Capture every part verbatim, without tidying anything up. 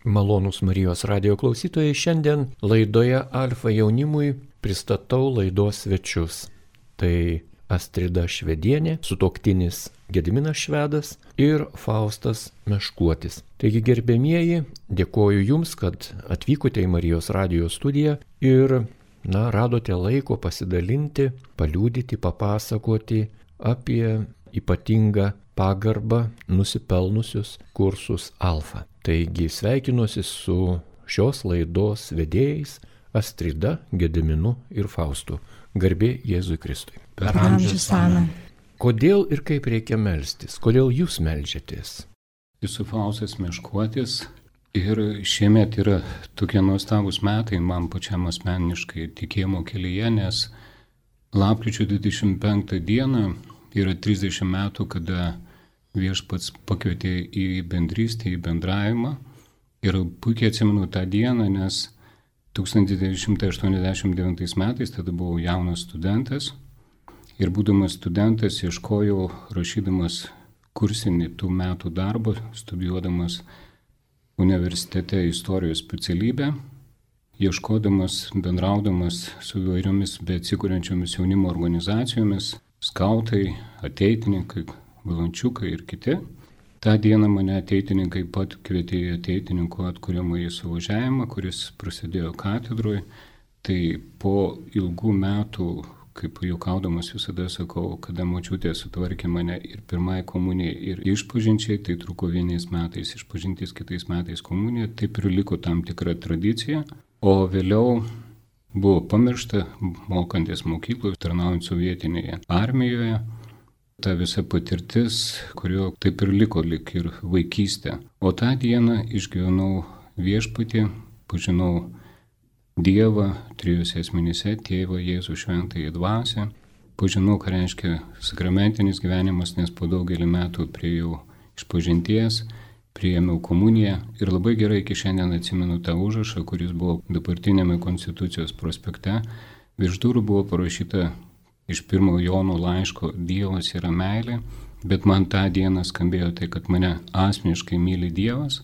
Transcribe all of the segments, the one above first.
Malonūs Marijos radijo klausytojai, šiandien laidoje Alfa jaunimui pristatau laidos svečius. Tai Astrida Švedienė, sutuoktinis Gediminas Švedas ir Faustas Meškuotis. Taigi, gerbėmieji, dėkoju Jums, kad atvykote į Marijos radijo studiją ir, na, radote laiko pasidalinti, paliudyti, papasakoti apie ypatingą pagarbą nusipelnusius kursus Alfa. Taigi sveikinuosi su šios laidos vedėjais Astrida, Gediminu ir Faustu. Garbė Jėzui Kristui. Per amžius amen. Kodėl ir kaip reikia melstis? Kodėl jūs melžiatės? Esu Faustas Meškuotis ir šiemet yra tokie nuostabūs metai man pačiam asmeniškai tikėjimo kelyje, nes lapkričio dvidešimt penktą dieną yra trisdešimt metų, kada Viešpats pakvietė į bendrystę, į bendravimą. Ir puikiai atsimenu tą dieną, nes tūkstantis devyni šimtai aštuoniasdešimt devintais metais, tada buvau jaunas studentas. Ir būdamas studentas ieškojau, rašydamas kursinį tų metų darbą, studijuodamas universitete istorijos specialybę, ieškodamas, bendraudamas su įvairiomis beatsikuriančiomis jaunimo organizacijomis, skautai, ateitininkai, valančiukai ir kiti. Ta diena mane ateitininkai pat kvietė į ateitininkų atkūrimąjį suvažiavimą, kuris prasidėjo katedroje. Tai po ilgų metų, kaip juokaudamas visada sakau, kada močiutė sutvarkė mane ir pirmai komunijai, ir išpažinčiai, tai truko vienais metais išpažintis, kitais metais komunija, taip ir liko tam tikra tradicija. O vėliau buvo pamiršta, mokantis mokykloje, tarnaujant sovietinėje armijoje. Ta visa patirtis, kurio taip ir liko lik ir vaikystė. O tą dieną išgyvenau Viešpatį, pažinau Dievą trijose asmenyse, Tėvą, Jėzų, Šventąją Dvasią. Pažinau, ką reiškia sakramentinis gyvenimas, nes po daugelį metų priėjau išpažinties, priėmiau komuniją ir labai gerai iki šiandien atsimenu tą užrašą, kuris buvo dabartinėme Konstitucijos prospekte. Virš durų buvo parašyta iš pirmo Jono laiško Dievas yra meilė, bet man tą dieną skambėjo tai, kad mane asmeniškai myli Dievas.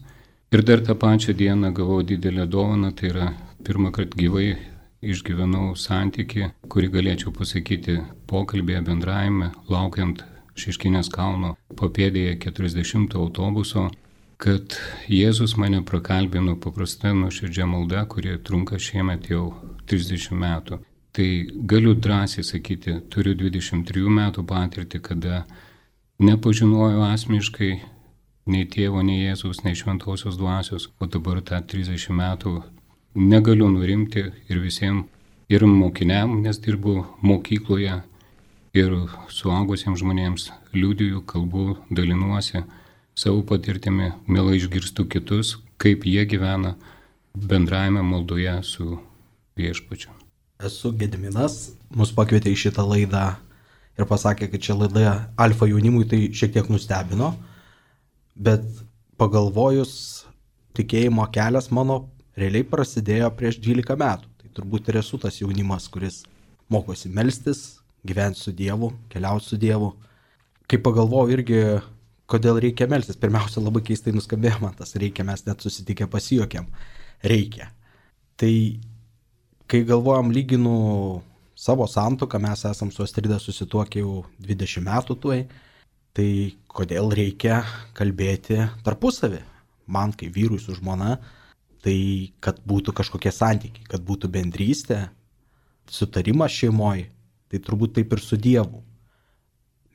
Ir dar tą pačią dieną gavau didelę dovaną, tai yra pirmą kartą gyvai išgyvenau santykį, kurį galėčiau pasakyti pokalbėje, bendravime, laukiant Šeškinės kalno papėdėje keturiasdešimto autobuso, kad Jėzus mane prakalbino paprasta nuoširdžia malda, kuri trunka šiemet jau trisdešimt metų. Tai galiu drąsiai sakyti, turiu dvidešimt trijų metų patirtį, kada nepažinojau asmeniškai nei tėvo, nei Jėzaus, nei šventosios dvasios, o dabar tą trisdešimt metų negaliu nurimti ir visiems, ir mokiniam, nes dirbu mokykloje, ir suaugusiems žmonėms liudiju, kalbu, dalinuosi savo patirtimi, mielai išgirstu kitus, kaip jie gyvena bendravime maldoje su Viešpačiu. Esu Gediminas, mus pakvietė į šitą laidą ir pasakė, kad čia laida Alfa jaunimui, tai šiek tiek nustebino, bet pagalvojus, tikėjimo kelias mano realiai prasidėjo prieš dvylika metų. Tai turbūt ir esu tas jaunimas, kuris mokosi melstis, gyventi su Dievu, keliauti su Dievu. Kai pagalvoju irgi, kodėl reikia melstis, pirmiausia, labai keistai nuskambėjo man tas reikia, mes net susitikę pasijuokėm. Reikia. Tai kai galvojam, lyginu savo santuoką, mes esam su Astrida susituokę jau dvidešimt metų tuoj, tai kodėl reikia kalbėti tarpusavį? Man, kaip vyrui su žmona, tai kad būtų kažkokie santykiai, kad būtų bendrystė, sutarimas šeimoje, tai turbūt taip ir su Dievu.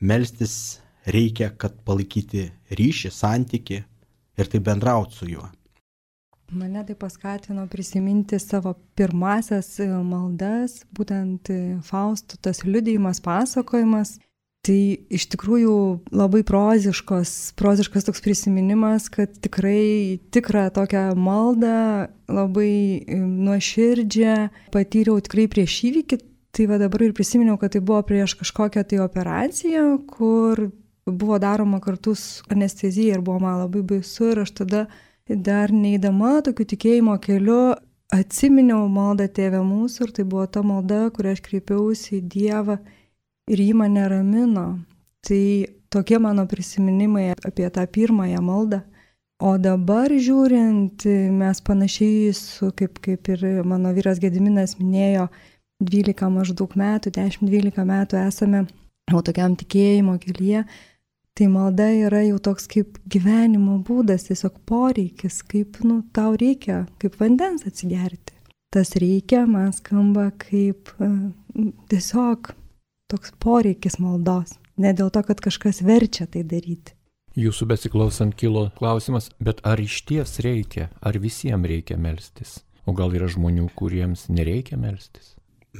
Melstis reikia, kad palaikyti ryšį, santykį ir tai bendrauti su juo. Mane tai paskatino prisiminti savo pirmasias maldas, būtent Fausto tas liudijimas, pasakojimas. Tai iš tikrųjų labai proziškos, proziškas toks prisiminimas, kad tikrai tikrą tokią maldą, labai nuoširdžią patyriau tikrai prieš įvykį. Tai va dabar ir prisiminiau, kad tai buvo prieš kažkokią tai operaciją, kur buvo daroma kartu su anestezija ir buvo man labai baisu ir aš tada dar neįdama tokiu tikėjimo keliu atsiminiau maldą Tėve mūsų ir tai buvo ta malda, kurią aš kreipiausi į Dievą ir jį mane ramino. Tai tokie mano prisiminimai apie tą pirmąją maldą. O dabar žiūrint, mes panašiai su, kaip, kaip ir mano vyras Gediminas minėjo, dvylika maždaug metų, dešimt dvylika metų esame jau tokiam tikėjimo kelyje, tai malda yra jau toks kaip gyvenimo būdas, tiesiog poreikis, kaip, nu, tau reikia, kaip vandens atsigerti. Tas reikia, man skamba kaip uh, tiesiog toks poreikis maldos, ne dėl to, kad kažkas verčia tai daryti. Jūsų besiklausant kilo klausimas, bet ar iš ties reikia, ar visiems reikia melstis? O gal yra žmonių, kuriems nereikia melstis?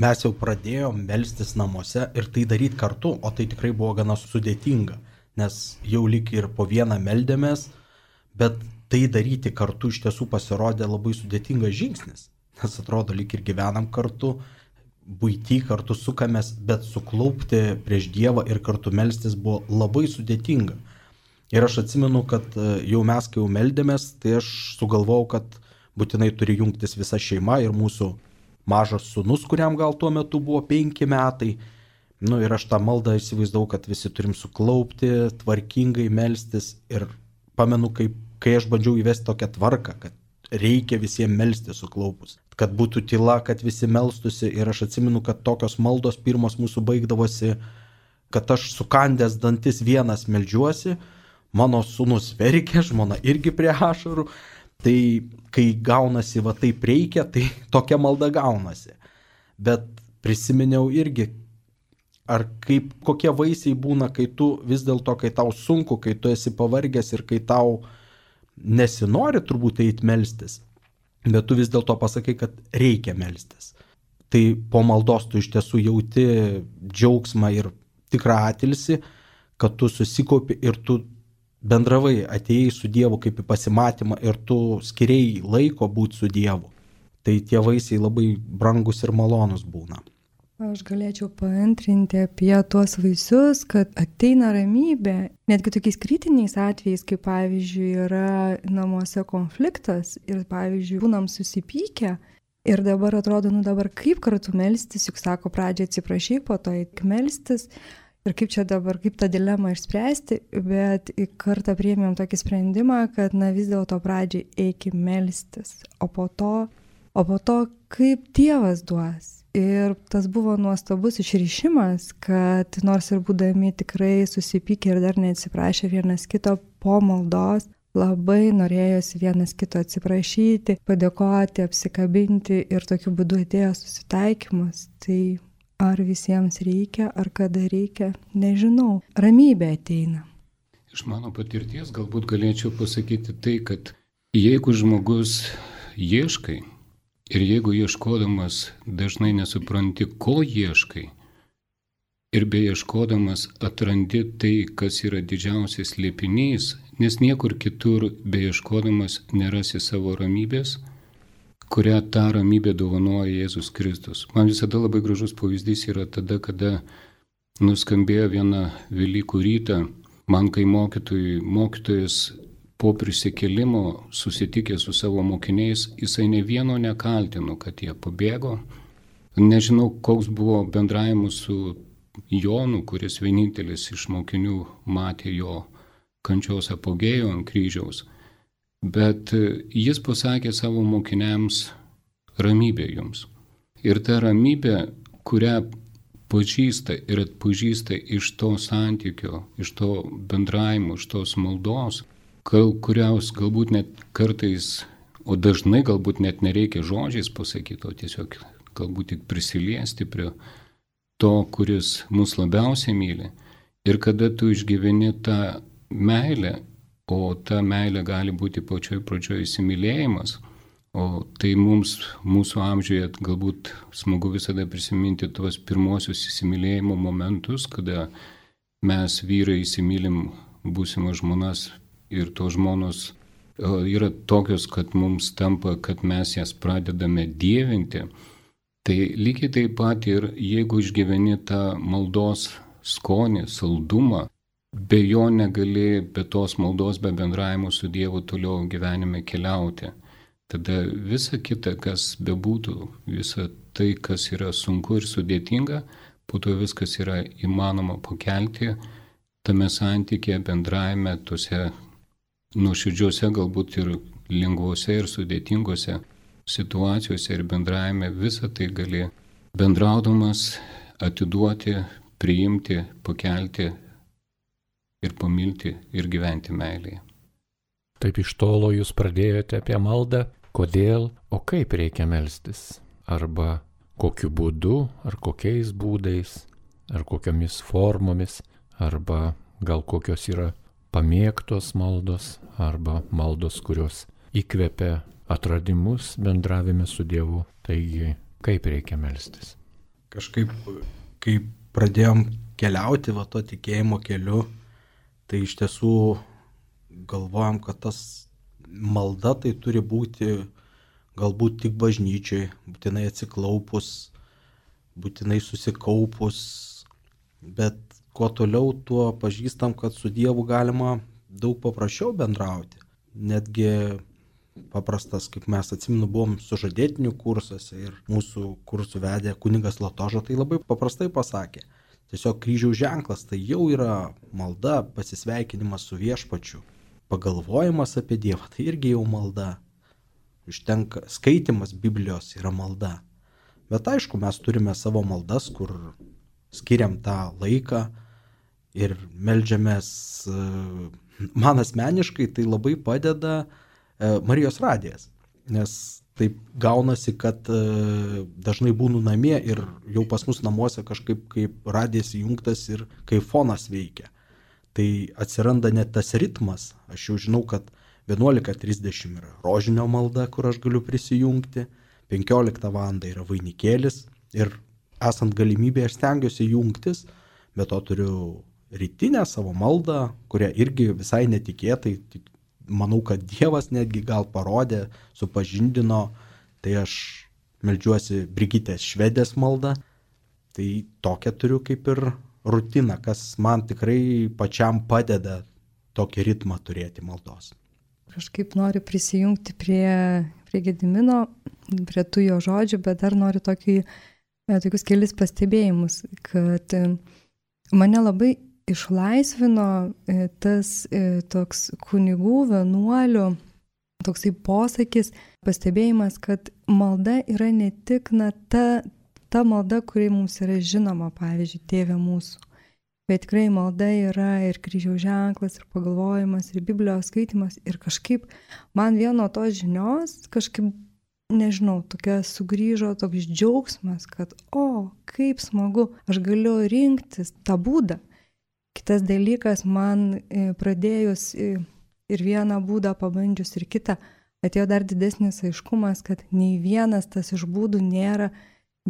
Mes jau pradėjom melstis namuose ir tai daryti kartu, o tai tikrai buvo gana sudėtinga, nes jau lyg ir po vieną meldėmės, bet tai daryti kartu iš tiesų pasirodė labai sudėtingas žingsnis, nes atrodo lyg ir gyvenam kartu, buitį kartu sukamės, bet suklaupti prieš Dievą ir kartu melstis buvo labai sudėtinga. Ir aš atsimenu, kad jau mes, kai jau meldėmės, tai aš sugalvojau, kad būtinai turi jungtis visa šeima ir mūsų mažas sūnus, kuriam gal tuo metu buvo penki metai. Nu ir aš tą maldą įsivaizdavau, kad visi turim suklaupti, tvarkingai melstis. Ir pamenu, kai, kai aš bandžiau įvesti tokią tvarką, kad reikia visiems melstis suklaupus. Kad būtų tyla, kad visi melstusi. Ir aš atsimenu, kad tokios maldos pirmos mūsų baigdavosi, kad aš sukandęs dantis vienas meldžiuosi, mano sūnus verkė, žmona irgi prie ašarų. Tai kai gaunasi va taip reikia, tai tokia malda gaunasi. Bet prisiminiau irgi, ar kaip, kokie vaisiai būna, kai tu vis dėlto, kai tau sunku, kai tu esi pavargęs ir kai tau nesinori turbūt eit melstis, bet tu vis dėlto pasakai, kad reikia melstis. Tai po maldos tu iš tiesų jauti džiaugsmą ir tikrą atilsį, kad tu susikaupi ir tu bendravai, atėjai su Dievu kaip į pasimatymą ir tu skiriai laiko būti su Dievu. Tai tie vaisiai labai brangus ir malonus būna. Aš galėčiau paantrinti apie tuos vaisius, kad ateina ramybė, netgi tokiais kritiniais atvejais, kaip pavyzdžiui yra namuose konfliktas ir pavyzdžiui būnam susipykę ir dabar atrodo, nu dabar kaip kartu melstis, juk sako pradžią atsiprašyk, po to eik melstis. Ir kaip čia dabar, kaip tą dilemą išspręsti, bet į kartą priėmėm tokį sprendimą, kad na vis dėlto pradžiai eikim melstis, o po to, o po to kaip Dievas duos. Ir tas buvo nuostabus išryšimas, kad nors ir būdami tikrai susipykę ir dar neatsiprašę vienas kito po maldos, labai norėjosi vienas kito atsiprašyti, padėkoti, apsikabinti ir tokiu būdu atėjo susitaikymas. Tai ar visiems reikia, ar kada reikia, nežinau. Ramybė ateina. Iš mano patirties galbūt galėčiau pasakyti tai, kad jeigu žmogus ieškai ir jeigu ieškodamas dažnai nesupranti, ko ieškai ir beieškodamas atrandi tai, kas yra didžiausias slėpinys, nes niekur kitur beieškodamas nerasi savo ramybės, kurią tą ramybę dovanoja Jėzus Kristus. Man visada labai gražus pavyzdys yra tada, kada nuskambėjo vieną Velykų rytą, man kai mokytojui, mokytojas po prisikėlimo susitikė su savo mokiniais, jisai ne vieno nekaltino, kad jie pabėgo. Nežinau, koks buvo bendravimas su Jonu, kuris vienintelis iš mokinių matė jo kančios apogėjo ant kryžiaus. Bet jis pasakė savo mokiniams ramybė jums. Ir ta ramybė, kurią pažįsta ir atpažįsta iš to santykio, iš to bendravimo, iš tos maldos, kuriaus galbūt net kartais, o dažnai galbūt net nereikia žodžiais pasakyti, o tiesiog galbūt tik prisiliesti prie to, kuris mus labiausiai myli. Ir kada tu išgyveni tą meilę, o ta meilė gali būti pačioj pradžioj įsimylėjimas, o tai mums, mūsų amžiuje galbūt smagu visada prisiminti tuos pirmosius įsimylėjimo momentus, kada mes vyrai įsimylim būsimas žmonas ir tos žmonos yra tokios, kad mums tampa, kad mes jas pradedame dievinti. Tai lygiai taip pat ir jeigu išgyveni tą maldos skonį, saldumą, be jo negali, be tos maldos, be bendravimo su Dievu toliau gyvenime keliauti. Tada visa kita, kas bebūtų, visa tai, kas yra sunku ir sudėtinga, po to viskas yra įmanoma pakelti tame santykėje, bendravime, tose nuoširdžiuose, galbūt ir lengvuose ir sudėtingose situacijose ir bendravime visą tai gali bendraudamas atiduoti, priimti, pakelti ir pamilti ir gyventi meilėje. Taip iš tolo jūs pradėjote apie maldą, kodėl, o kaip reikia melstis, arba kokiu būdu, ar kokiais būdais, ar kokiamis formomis, arba gal kokios yra pamėgtos maldos, arba maldos, kurios įkvepia atradimus bendravime su Dievu. Taigi, kaip reikia melstis? Kažkaip, kai pradėjom keliauti va to tikėjimo keliu, tai iš tiesų galvojam, kad tas malda tai turi būti galbūt tik bažnyčiai, būtinai atsiklaupus, būtinai susikaupus, bet kuo toliau, tuo pažįstam, kad su Dievu galima daug paprasčiau bendrauti. Netgi paprastas, kaip mes atsimenu, buvom sužadėtinių kursuose ir mūsų kursų vedė kunigas Latoža, tai labai paprastai pasakė. Tiesiog kryžiaus ženklas tai jau yra malda, pasisveikinimas su viešpačiu. Pagalvojimas apie Dievą tai irgi jau malda. Užtenka, skaitimas Biblijos yra malda. Bet aišku, mes turime savo maldas, kur skiriam tą laiką ir meldžiamės. Man asmeniškai tai labai padeda Marijos radijas, nes taip gaunasi, kad dažnai būnu namie ir jau pas mus namuose kažkaip kaip radijas įjungtas ir kaip fonas veikia. Tai atsiranda net tas ritmas, aš jau žinau, kad vienuolika trisdešimt yra rožinio malda, kur aš galiu prisijungti, penkioliktą valandą yra vainikėlis ir esant galimybėje aš stengiuosi jungtis, bet to turiu rytinę savo maldą, kurią irgi visai netikėtai, manau, kad Dievas netgi gal parodė, supažindino, tai aš meldžiuosi Brigitės Švedės maldą, tai tokią turiu kaip ir rutiną, kas man tikrai pačiam padeda tokį ritmą turėti maldos. Kažkaip noriu prisijungti prie, prie Gedimino, prie tų jo žodžių, bet dar noriu tokį, tokius kelis pastebėjimus, kad mane labai išlaisvino tas toks kunigų, vienuolių, toksai posakis, pastebėjimas, kad malda yra ne tik na, ta, ta malda, kuri mums yra žinoma, pavyzdžiui, Tėve mūsų, bet tikrai malda yra ir kryžiaus ženklas, ir pagalvojimas, ir Biblijos skaitimas, ir kažkaip man vieno tos žinios, kažkaip, nežinau, tokia sugrįžo toks džiaugsmas, kad o, kaip smagu, aš galiu rinktis tą būdą. Kitas dalykas, man pradėjus ir vieną būdą pabandžius ir kitą, atėjo dar didesnis aiškumas, kad nei vienas tas iš būdų nėra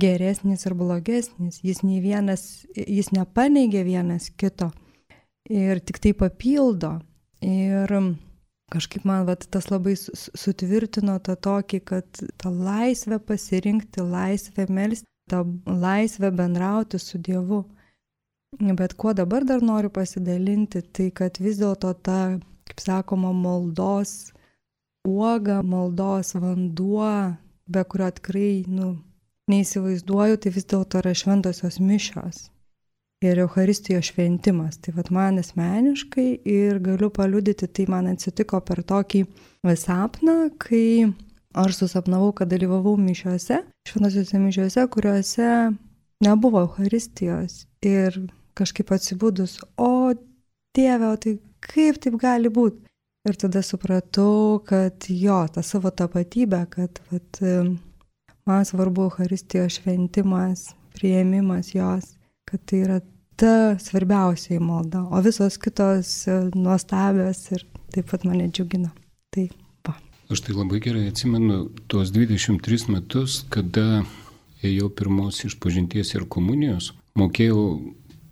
geresnis ir blogesnis, jis nei vienas, jis nepaneigia vienas kito ir tik tai papildo. Ir kažkaip man vat, tas labai sutvirtino tą tokį, kad tą laisvę pasirinkti, laisvę melsti, tą laisvę bendrauti su Dievu. Bet kuo dabar dar noriu pasidalinti, tai kad vis dėlto ta, kaip sakoma, maldos uoga, maldos vanduo, be kurio tikrai, nu, neįsivaizduoju, tai vis dėlto yra šventosios mišios ir Eucharistijos šventimas. Tai vat man asmeniškai ir galiu paliudyti, tai man atsitiko per tokį sapną, kai aš susapnavau, kad dalyvavau mišiuose, šventosiuose mišiuose, kuriuose nebuvo Eucharistijos ir kažkaip atsibudus, o Dieve, o tai kaip taip gali būti? Ir tada supratau, kad jo, tą savo tapatybę, kad vat, man svarbu Eucharistijos šventimas, priėmimas jos, kad tai yra ta svarbiausiai malda, o visos kitos nuostabios ir taip pat mane džiugina. Tai va. Aš tai labai gerai atsimenu tuos dvidešimt tris metus, kada ėjau pirmos išpažinties ir komunijos, mokėjau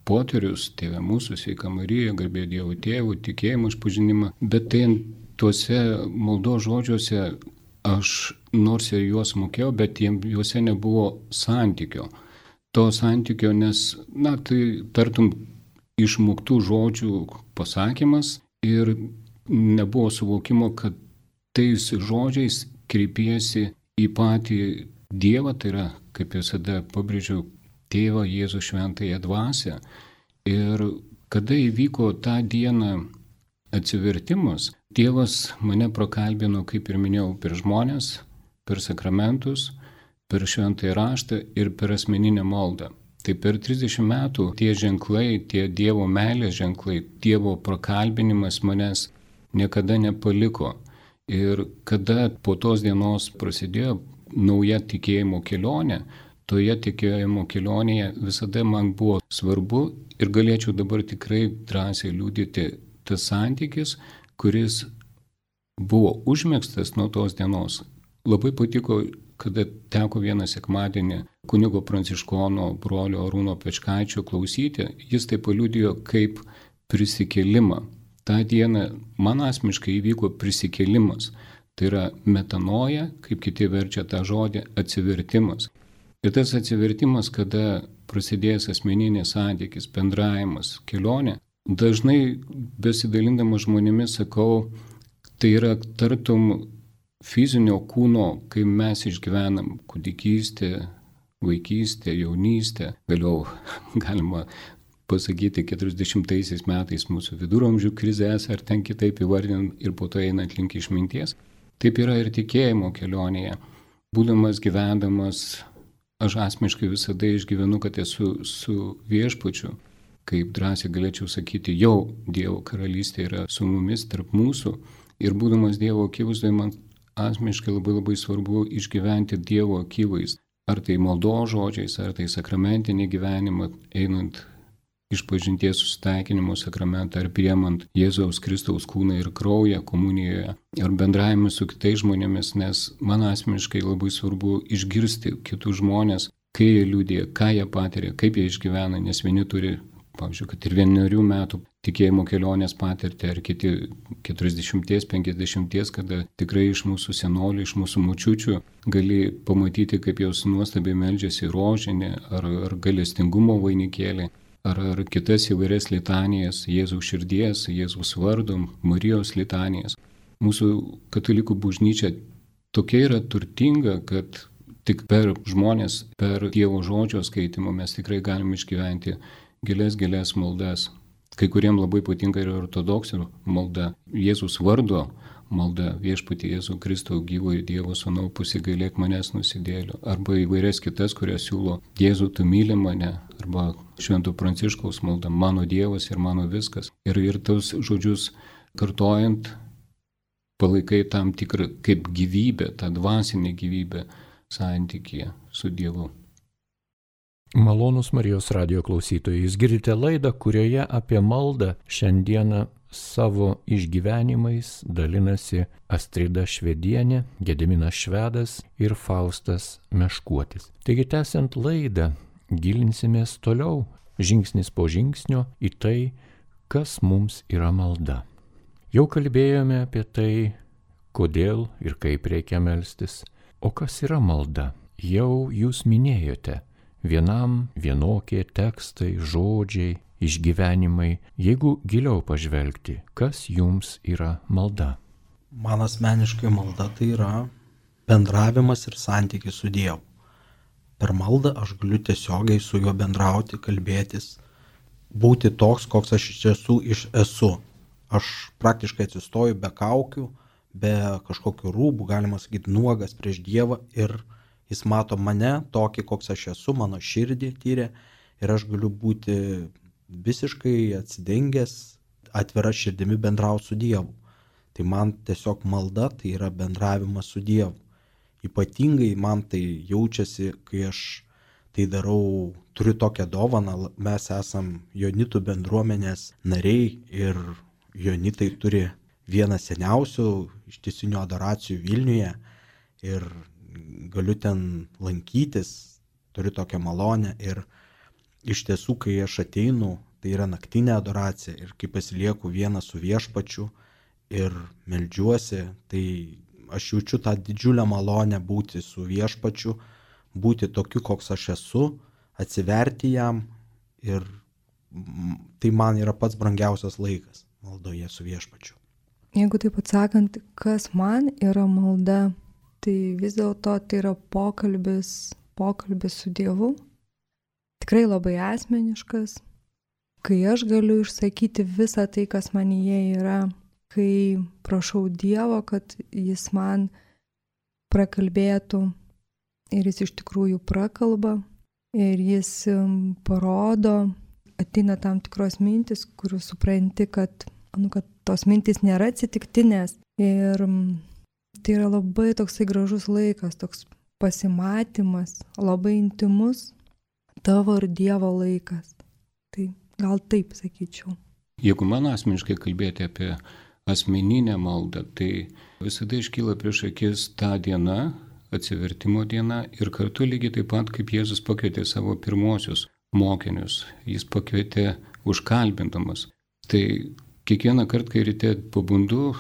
poterius, Tėve mūsų, Sveika Marija, garbė Dievo Tėvų, tikėjimo išpažinimą, bet tai tuose maldos žodžiuose aš nors ir juos mokėjau, bet juose nebuvo santykio. To santykio, nes, na, tai tartum išmoktų žodžių pasakymas ir nebuvo suvokimo, kad tais žodžiais kreipiesi į patį Dievą, tai yra, kaip visada pabrėžiu, Tėvą Jėzų Šventąją Dvasią. Ir kada įvyko tą dieną atsivertimas, Dievas mane prakalbino, kaip ir minėjau, per žmonės, per sakramentus, per šventąjį raštą ir per asmeninę maldą. Tai per trisdešimt metų tie ženklai, tie Dievo meilės ženklai, Dievo prakalbinimas manęs niekada nepaliko. Ir kada po tos dienos prasidėjo nauja tikėjimo kelionė, toje tikėjimo kelionėje visada man buvo svarbu ir galėčiau dabar tikrai drąsiai liudyti tas santykis, kuris buvo užmėgstas nuo tos dienos. Labai patiko, kada teko vieną sekmadienį kunigo pranciškono brolio Arūno Pečkaičio klausyti, jis tai paliudijo kaip prisikėlimą. Ta diena man asmeniškai įvyko prisikėlimas. Tai yra metanoja, kaip kiti verčia tą žodį, atsivertimas. Ir tas atsivertimas, kada prasidėjęs asmeninės santykis, bendravimas, kelionė, dažnai besidalindamas žmonėmis sakau, tai yra tartum fizinio kūno, kai mes išgyvenam kūdikystę, vaikystę, jaunystę, vėliau galima pasakyti keturiasdešimtaisiais metais mūsų viduramžių krizės, ar ten kitaip įvardinant ir po to einant link išminties. Taip yra ir tikėjimo kelionėje. Būdamas gyvendamas, aš asmeniškai visada išgyvenu, kad esu su viešpačiu, kaip drąsiai galėčiau sakyti, jau Dievo karalystė yra su mumis tarp mūsų. Ir būdamas Dievo akivaizdoje, man asmeniškai labai labai svarbu išgyventi Dievo akivaizdą. Ar tai maldos žodžiais, ar tai sakramentinį gyvenimą, einant išpažinties susitaikinimo sakramentą, ar priemant Jėzaus Kristaus kūną ir kraują komunijoje, ar bendravimas su kitais žmonėmis, nes man asmeniškai labai svarbu išgirsti kitus žmonės, kai jie liudija, ką jie patiria, kaip jie išgyvena, nes vieni turi, pavyzdžiui, kad ir vienerių metų tikėjimo kelionės patirtį, ar kiti keturiasdešimties, penkiasdešimties, kada tikrai iš mūsų senolių, iš mūsų močiučių gali pamatyti, kaip jos nuostabiai meldžiasi rožinį, ar, ar galestingumo vainikėlį, ar, ar kitas įvairias litanijas, Jėzaus širdies, Jėzaus vardo, Marijos litanijas. Mūsų katalikų bažnyčia tokia yra turtinga, kad tik per žmonės, per Dievo žodžio skaitimą mes tikrai galime išgyventi gilias, gilias maldas. Kai kuriem labai patinka ir ortodoksų malda, Jėzus vardo malda, viešpatie Jėzų Kristų gyvojo Dievo sūnau, pasigailėk manęs nusidėlių, arba įvairias kitas, kurias siūlo Jėzų, tu myli mane, arba Švento Pranciškaus malda, mano Dievas ir mano viskas. Ir, ir tos žodžius kartojant, palaikai tam tikrą kaip gyvybę, tą dvasinę gyvybę santykyje su Dievu. Malonūs Marijos radijo klausytojai, jūs girdite laidą, kurioje apie maldą šiandieną savo išgyvenimais dalinasi Astrida Švedienė, Gediminas Švedas ir Faustas Meškuotis. Taigi tęsiant laidą, gilinsimės toliau, žingsnis po žingsnio į tai, kas mums yra malda. Jau kalbėjome apie tai, kodėl ir kaip reikia melstis. O kas yra malda? Jau jūs minėjote. Vienam vienokie tekstai, žodžiai, išgyvenimai. Jeigu giliau pažvelgti, kas jums yra malda? Man asmeniškai malda tai yra bendravimas ir santykis su Dievu. Per maldą aš galiu tiesiogiai su juo bendrauti, kalbėtis, būti toks, koks aš iš tiesų iš esu. Aš praktiškai atsistoju be kaukių, be kažkokių rūbų, galima sakyti, nuogas prieš Dievą ir Jis mato mane tokį, koks aš esu, mano širdį tyrė ir aš galiu būti visiškai atsidengęs, atvira širdimi bendrauti su Dievu. Tai man tiesiog malda tai yra bendravimas su Dievu. Ypatingai man tai jaučiasi, kai aš tai darau, turiu tokią dovaną, mes esam Jonitų bendruomenės nariai ir Jonitai turi vieną seniausių ištisinių adoracijų Vilniuje ir galiu ten lankytis, turiu tokią malonę ir iš tiesų, kai aš ateinu, tai yra naktinė adoracija ir kai pasilieku vieną su viešpačiu ir meldžiuosi, tai aš jaučiu tą didžiulę malonę būti su viešpačiu, būti tokiu, koks aš esu, atsiverti jam ir tai man yra pats brangiausias laikas maldoje su viešpačiu. Jeigu taip atsakant, kas man yra malda, tai vis dėlto tai yra pokalbis, pokalbis su Dievu, tikrai labai asmeniškas, kai aš galiu išsakyti visą tai, kas manyje yra, kai prašau Dievo, kad jis man prakalbėtų ir jis iš tikrųjų prakalba ir jis parodo, ateina tam tikros mintis, kurių supranti, kad, nu, kad tos mintis nėra atsitiktinės. Ir tai yra labai toksai gražus laikas, toks pasimatymas, labai intimus tavo ir Dievo laikas. Tai gal taip sakyčiau. Jeigu man asmeniškai kalbėti apie asmeninę maldą, tai visada iškyla prieš akis ta diena, atsivertimo diena ir kartu lygiai taip pat, kaip Jėzus pakvietė savo pirmosius mokinius, jis pakvietė užkalbindamas. Tai kiekvieną kartą, kai ryte pabundu,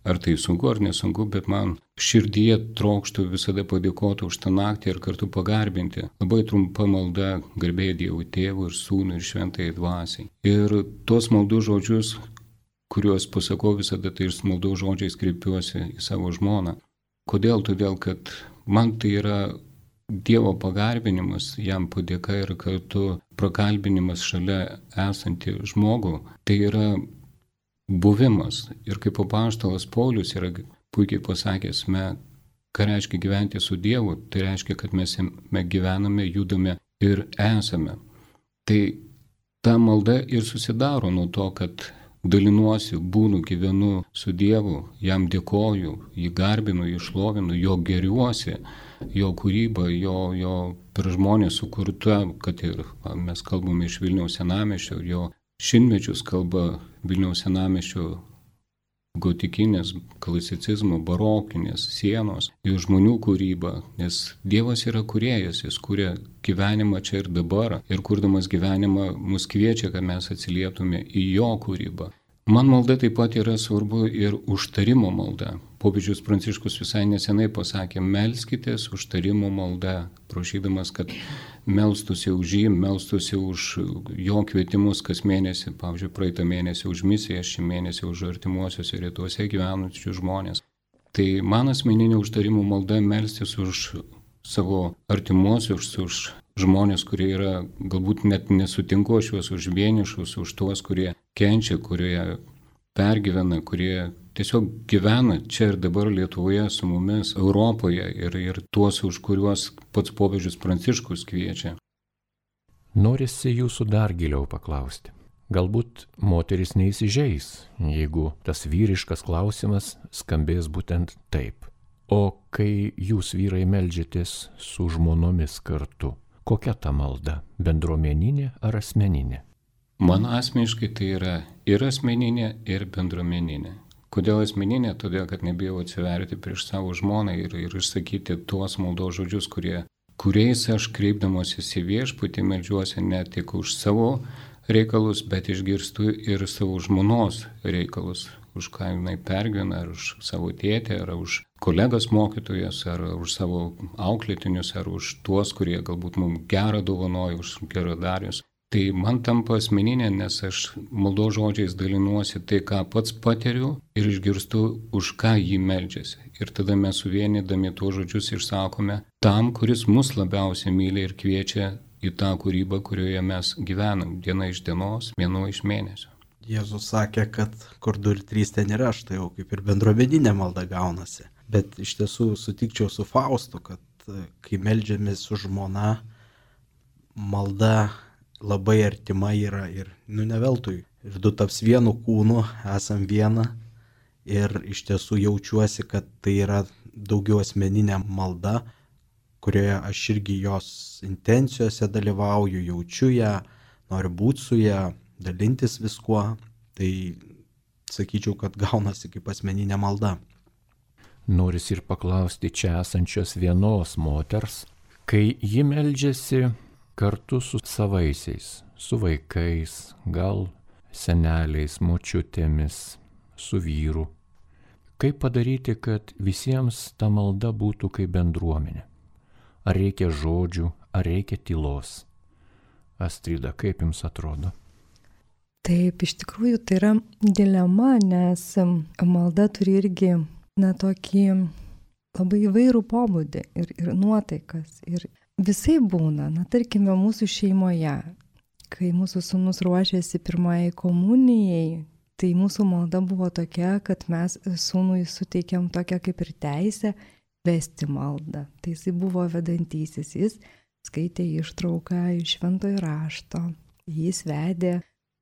ar tai sunku ar nesunku, bet man širdyje trokštų visada padėkoti už tą naktį ir kartu pagarbinti. Labai trumpa malda garbė Dievui Tėvui ir Sūnui ir Šventajai Dvasiai. Ir tuos maldų žodžius, kuriuos pasakau visada, tai ir maldų žodžiais kreipiuosi į savo žmoną. Kodėl? Todėl, kad man tai yra Dievo pagarbinimas, jam padėka ir kartu prakalbinimas šalia esantį žmogų. Tai yra buvimas. Ir kaip apaštalas Paulius yra puikiai pasakęs, me, ką reiškia gyventi su Dievu, tai reiškia, kad mes gyvename, judame ir esame. Tai ta malda ir susidaro nuo to, kad dalinuosi, būnu, gyvenu su Dievu, jam dėkoju, jį garbinu, jį šlovinu, jo geriuosi, jo kūryba, jo, jo per žmonės sukurta, kad ir mes kalbame iš Vilniaus senamiesčio, jo šimtmečius kalba Vilniaus senamiesčio gotikinės, klasicizmo, barokinės sienos, jo žmonių kūryba, nes Dievas yra kūrėjas, jis kūrė gyvenimą čia ir dabar ir kurdamas gyvenimą mus kviečia, kad mes atsilietume į jo kūrybą. Man malda taip pat yra svarbu ir užtarimo malda. Popiežius Pranciškus visai nesenai pasakė, melskitės užtarimo malda, prašydamas, kad melstųsi už jį, melstųsi už jo kvietimus kas mėnesį, pavyzdžiui, praeitą mėnesį už misiją, šį mėnesį už artimuosiuose rytuose gyvenančius žmonės. Tai man asmeninė užtarimo malda melstis už savo artimuosius, už žmonės, kurie yra, galbūt net nesutinku aš juos, už vienišus, už tuos, kurie kenčia, kurie pergyvena, kurie tiesiog gyvena čia ir dabar Lietuvoje su mumis, Europoje ir, ir tuos, už kuriuos pats popiežius Pranciškus kviečia. Norisi jūsų dar giliau paklausti. Galbūt moteris neįsižeis, jeigu tas vyriškas klausimas skambės būtent taip. O kai jūs vyrai meldžiatės su žmonomis kartu, kokia ta malda? Bendruomeninė ar asmeninė? Man asmeniškai tai yra ir asmeninė, ir bendruomeninė. Kodėl asmeninė? Todėl, kad nebijau atsiverti prieš savo žmoną ir, ir išsakyti tuos maldos žodžius, kurie, kuriais aš kreipdamosis į viešpatį meldžiuosi ne tik už savo reikalus, bet išgirstu ir savo žmonos reikalus, už ką jinai pergyvena, ar už savo tėtę, ar už kolegas mokytojas, ar už savo auklėtinius, ar už tuos, kurie galbūt mums gerą dovanoja, už geradarius. Tai man tampa asmeninė, nes aš maldos žodžiais dalinuosi tai, ką pats patiriu ir išgirstu, už ką jį meldžiasi. Ir tada mes suvienydami tuos žodžius išsakome tam, kuris mus labiausiai myli ir kviečia į tą kūrybą, kurioje mes gyvenam, diena iš dienos, mėnuo iš mėnesio. Jėzus sakė, kad kur du ir trys ten yra, aš tai jau kaip ir bendruomeninė malda gaunasi. Bet iš tiesų sutikčiau su Faustu, kad kai meldžiamės su žmona, malda labai artima yra ir, nu, ne veltui. Ir du taps vienu kūnu, esam viena. Ir iš tiesų jaučiuosi, kad tai yra daugiau asmeninė malda, kurioje aš irgi jos intencijose dalyvauju, jaučiu ją, noriu būti su ją, dalintis viskuo. Tai sakyčiau, kad gaunasi kaip asmeninė malda. Noris ir paklausti čia esančios vienos moters, kai ji meldžiasi kartu su savaisiais, su vaikais, gal seneliais, močiutėmis, su vyru. Kaip padaryti, kad visiems ta malda būtų kaip bendruomenė? Ar reikia žodžių, ar reikia tylos? Astrida, kaip jums atrodo? Taip, iš tikrųjų tai yra dilema, nes malda turi irgi, na, tokį labai įvairų pobūdį ir, ir nuotaikas. Ir visai būna, na, tarkime, mūsų šeimoje, kai mūsų sūnus ruošiasi pirmajai komunijai, Tai mūsų malda buvo tokia, kad mes sūnui suteikėm tokią kaip ir teisę vesti maldą. Tai jis buvo vedantysis, jis skaitė ištrauką iš šventojo rašto, jis vedė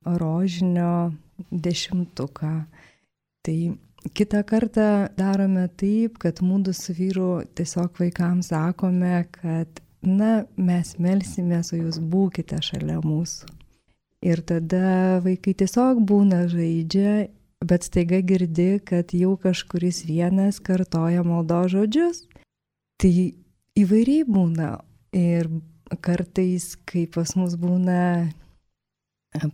rožinio dešimtuką. Tai kitą kartą darome taip, kad mūdu su vyru tiesiog vaikams sakome, kad na, mes melsimės, o jūs būkite šalia mūsų. Ir tada vaikai tiesiog būna žaidžia, bet staiga girdi, kad jau kažkuris vienas kartoja maldos žodžius. Tai įvairiai būna. Ir kartais, kai pas mus būna,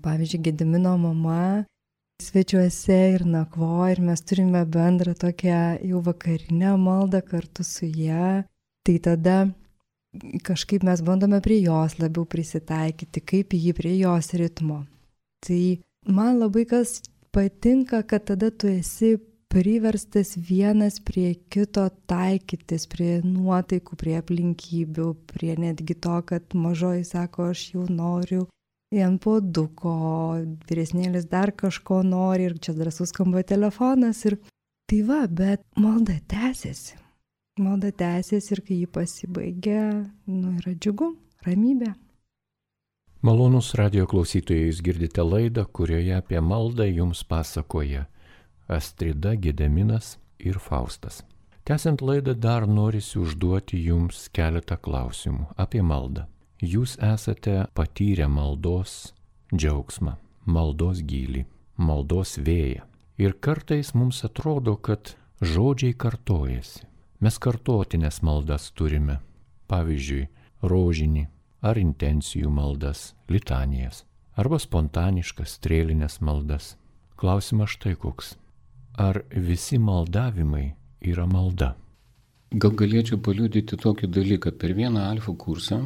pavyzdžiui, Gedimino mama svečiuose ir nakvoja, ir mes turime bendrą tokią jau vakarinę maldą kartu su ja, tai tada kažkaip mes bandome prie jos labiau prisitaikyti, kaip jį prie jos ritmo. Tai man labai kas patinka, kad tada tu esi priverstas vienas prie kito taikytis, prie nuotaikų, prie aplinkybių, prie netgi to, kad mažoji sako, aš jau noriu ant puoduko, vyresnėlis dar kažko nori ir čia drąsus skamba telefonas. Ir tai va, bet malda tęsiasi. Malda tęsiasi ir kai jį pasibaigia, nu yra džiugu, ramybė. Malonus radio klausytojai, jūs girdite laidą, kurioje apie maldą jums pasakoja Astrida, Gediminas ir Faustas. Tęsiant laidą dar norisi užduoti jums keletą klausimų apie maldą. Jūs esate patyrę maldos džiaugsmą, maldos gylį, maldos vėją. Ir kartais mums atrodo, kad žodžiai kartojasi. Mes kartotinės maldas turime, pavyzdžiui, rožinį ar intencijų maldas, litanijas, arba spontaniškas strėlinės maldas. Klausimas štai koks. Ar visi maldavimai yra malda? Gal galėčiau paliudyti tokį dalyką. Per vieną alfa kursą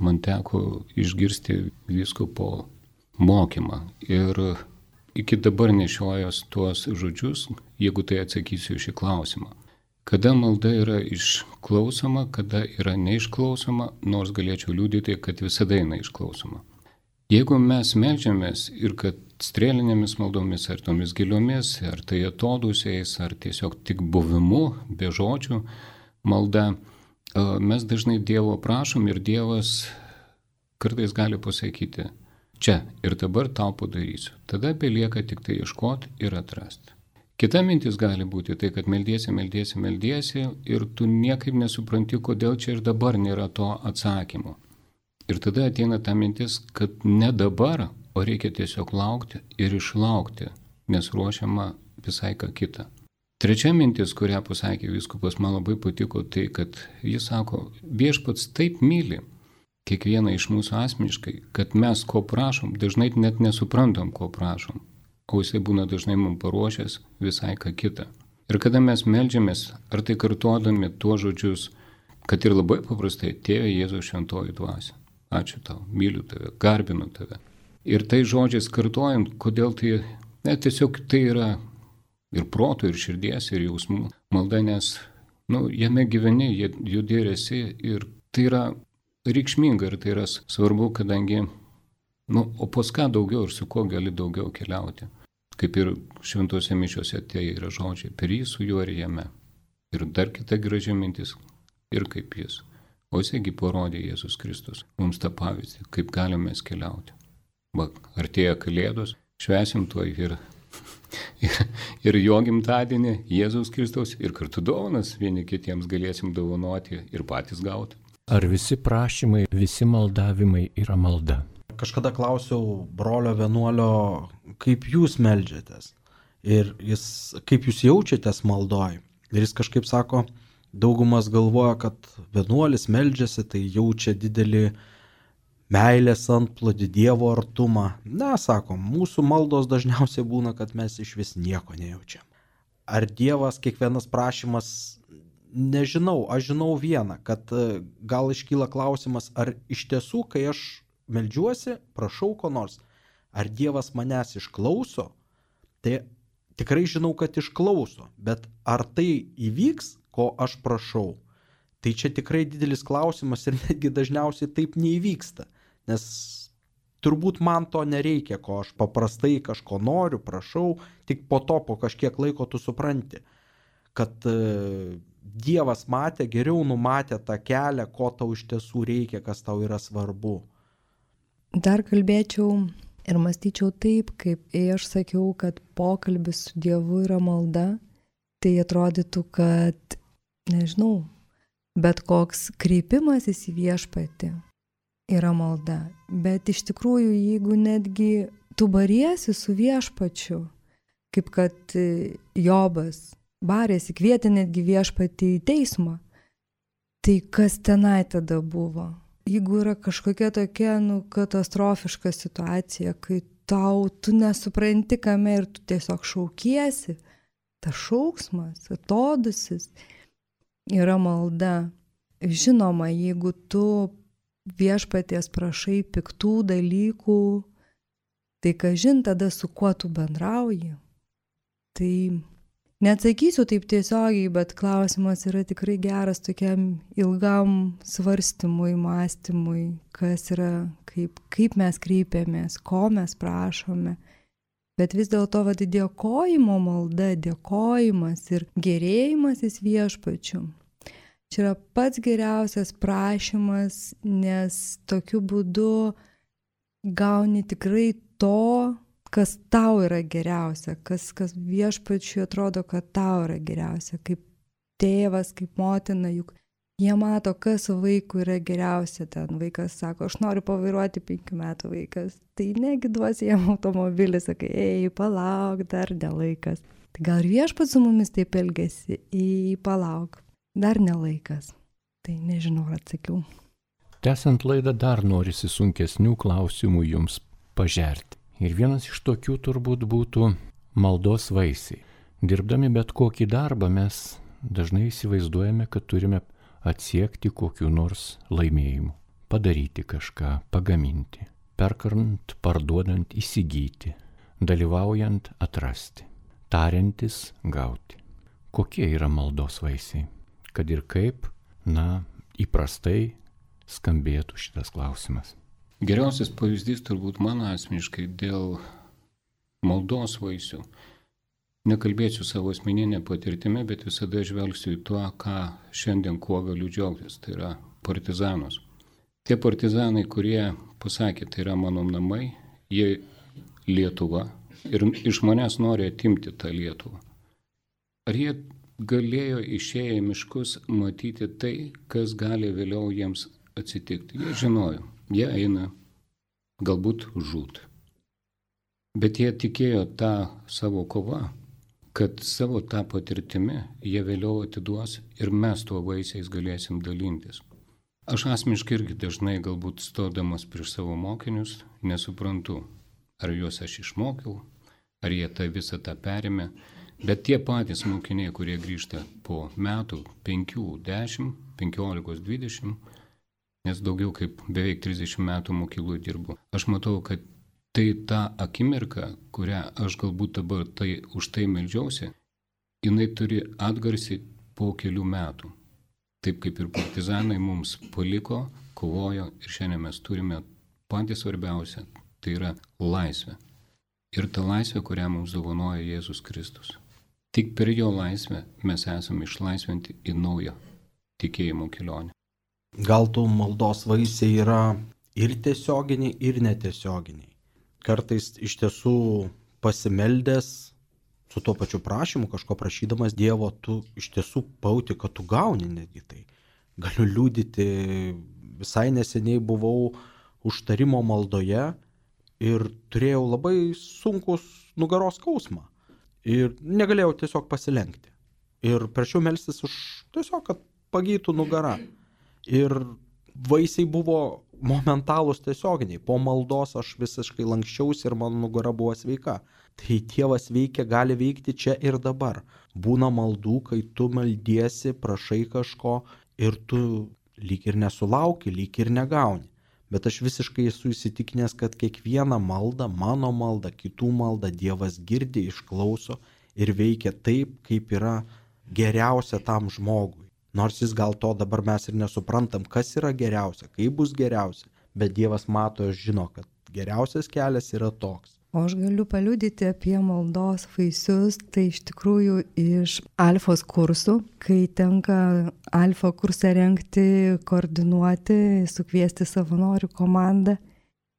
man teko išgirsti vyskupo mokymą. Ir iki dabar nešiojos tuos žodžius, jeigu tai atsakysiu šį klausimą. Kada malda yra išklausoma, kada yra neišklausoma, nors galėčiau liudyti, kad visada yra išklausoma. Jeigu mes meldžiamės ir kad strėlinėmis maldomis, ar tomis giliomis, ar tai atodūsiais, ar tiesiog tik buvimu, be žodžių malda, mes dažnai Dievo prašom ir Dievas kartais gali pasakyti, čia ir dabar tau padarysiu. Tada belieka tik tai ieškoti ir atrasti. Kita mintis gali būti tai, kad meldiesi, meldiesi, meldiesi ir tu niekaip nesupranti, kodėl čia ir dabar nėra to atsakymo. Ir tada ateina ta mintis, kad ne dabar, o reikia tiesiog laukti ir išlaukti, nes ruošiama visai ką kita. Trečia mintis, kurią pasakė vyskupas, man labai patiko, tai kad jis sako, viešpats taip myli kiekvieną iš mūsų asmeniškai, kad mes ko prašom, dažnai net nesuprantam, ko prašom. O jisai būna dažnai mums paruošęs visai ką kitą. Ir kada mes meldžiamės, ar tai kartuodami tuos žodžius, kad ir labai paprastai, Tėve Jėzaus šventoji dvasia, ačiū tau, myliu tave, garbinu tave. Ir tai žodžiais kartuojant, kodėl tai, ne, tiesiog tai yra ir proto, ir širdies, ir jausmų malda, nes, nu, jame gyveni, judi ir esi, ir tai yra reikšminga, ir tai yra svarbu, kadangi, nu, o pas ką daugiau ir su kuo gali daugiau keliauti. Kaip ir šventose mišiuose tai yra žodžiai, per jį su juo ir jame. Ir dar kita graži mintis, ir kaip jis. O jisgi parodė Jėzus Kristus mums tą pavyzdį, kaip galime keliauti. Va, artėja Kalėdos, švęsim tuo ir, ir, ir jo gimtadienį, Jėzaus Kristaus, ir kartu dovanas vieni kitiems galėsim dovanoti ir patys gauti. Ar visi prašymai, visi maldavimai yra malda? Kažkada klausiau brolio vienuolio, kaip jūs meldžiatės ir jis, kaip jūs jaučiatės maldoj. Ir jis kažkaip sako, daugumas galvoja, kad vienuolis meldžiasi, tai jaučia didelį meilės antplūdį, Dievo artumą. Ne, sako, mūsų maldos dažniausiai būna, kad mes iš vis nieko nejaučiam. Ar Dievas kiekvienas prašymas, nežinau, aš žinau vieną, kad gal iškyla klausimas, ar iš tiesų, kai aš meldžiuosi, prašau ko nors, ar Dievas manęs išklauso, tai tikrai žinau, kad išklauso, bet ar tai įvyks, ko aš prašau, tai čia tikrai didelis klausimas ir netgi dažniausiai taip neįvyksta, nes turbūt man to nereikia, ko aš paprastai kažko noriu, prašau, tik po to, po kažkiek laiko tu supranti, kad e, Dievas matė, geriau numatė tą kelią, ko tau iš tiesų reikia, kas tau yra svarbu. Dar kalbėčiau ir mąstyčiau taip, kaip aš sakiau, kad pokalbis su Dievu yra malda, tai atrodytų, kad, nežinau, bet koks kreipimasis į viešpatį yra malda. Bet iš tikrųjų, jeigu netgi tu bariesi su viešpačiu, kaip kad Jobas barėsi, kvietė netgi viešpatį į teismą, tai kas tenai tada buvo? Jeigu yra kažkokia tokia nu, katastrofiška situacija, kai tau tu nesupranti kame ir tu tiesiog šaukiesi, tas šauksmas, atodusis yra malda. Žinoma, jeigu tu viešpaties prašai piktų dalykų, tai kažin tada su kuo tu bendrauji. Tai neatsakysiu taip tiesiogiai, bet klausimas yra tikrai geras tokiam ilgam svarstymui, mąstymui, kas yra, kaip, kaip mes kreipiamės, ko mes prašome. Bet vis dėlto vad dėkojimo malda, dėkojimas ir gerėjimasis viešpačiu. Čia yra pats geriausias prašymas, nes tokiu būdu gauni tikrai to, kas tau yra geriausia, kas, kas viešpačiui atrodo, kad tau yra geriausia, kaip tėvas, kaip motina, juk jie mato, kas vaikui yra geriausia. Ten vaikas sako, aš noriu pavairuoti penkių metų vaikas, tai negi duosi jam automobilį, sakai, ei, palauk, dar ne laikas. Tai gal viešpats su mumis taip elgesi, ei, palauk, dar ne laikas. Tai nežinau, ar atsakiau. Tęsiant laidą dar norisi sunkesnių klausimų jums pažerti. Ir vienas iš tokių turbūt būtų maldos vaisiai. Dirbdami bet kokį darbą mes dažnai įsivaizduojame, kad turime atsiekti kokiu nors laimėjimu. Padaryti kažką, pagaminti, perkant, parduodant, įsigyti, dalyvaujant, atrasti, tariantis, gauti. Kokie yra maldos vaisiai? Kad ir kaip, na, įprastai skambėtų šitas klausimas. Geriausias pavyzdys turbūt mano asmeniškai dėl maldos vaisių. Nekalbėsiu savo asmeninę patirtimį, bet visada žvelgsiu į tuo, ką šiandien kuo galiu džiaugtis. Tai yra partizanus. Tie partizanai, kurie pasakė, tai yra mano namai, jie Lietuva ir iš manęs nori atimti tą Lietuvą. Ar jie galėjo išėję į miškus matyti tai, kas gali vėliau jiems atsitikti? Jie žinojo. Jie eina galbūt žūt. Bet jie tikėjo tą savo kovą, kad savo tą patirtimi jie vėliau atiduos ir mes tuo vaisiais galėsim dalintis. Aš asmeniškai irgi dažnai galbūt stodamas prieš savo mokinius nesuprantu, ar juos aš išmokiau, ar jie tą visą tą perėmė, bet tie patys mokiniai, kurie grįžta po metų, penkių, dešimt, penkiolikos, dvidešimt, nes daugiau kaip beveik trisdešimt metų mokyklų dirbu. Aš matau, kad tai ta akimirka, kurią aš galbūt dabar tai, už tai meldžiausi, jinai turi atgarsį po kelių metų. Taip kaip ir partizanai mums paliko, kovojo ir šiandien mes turime patį svarbiausią, tai yra laisvę. Ir ta laisvė, kurią mums dovanoja Jėzus Kristus. Tik per jo laisvę mes esame išlaisvinti į naują tikėjimo kelionę. Gal tų maldos vaisiai yra ir tiesioginiai, ir netiesioginiai. Kartais iš tiesų pasimeldęs su tuo pačiu prašymu, kažko prašydamas Dievo, tu iš tiesų pajauti, kad tu gauni netgi tai. Galiu liudyti, visai neseniai buvau užtarimo maldoje ir turėjau labai sunkus nugaros skausmą. Ir negalėjau tiesiog pasilenkti. Ir prašiau melstis už tiesiog, kad pagytų nugara. Ir vaisiai buvo momentalūs tiesioginiai. Po maldos aš visiškai lankščiausi ir mano nugara buvo sveika. Tai Dievas veikia, gali veikti čia ir dabar. Būna maldų, kai tu meldiesi, prašai kažko ir tu lyg ir nesulauki, lyg ir negauni. Bet aš visiškai esu įsitikinęs, kad kiekvieną maldą, mano maldą, kitų maldą Dievas girdi, išklauso ir veikia taip, kaip yra geriausia tam žmogui. Nors jis gal to dabar mes ir nesuprantam, kas yra geriausia, kaip bus geriausia, bet Dievas mato ir žino, kad geriausias kelias yra toks. O aš galiu paliudyti apie maldos vaisius, tai iš tikrųjų iš alfos kursų, kai tenka alfa kursą rengti, koordinuoti, sukviesti savanorių komandą.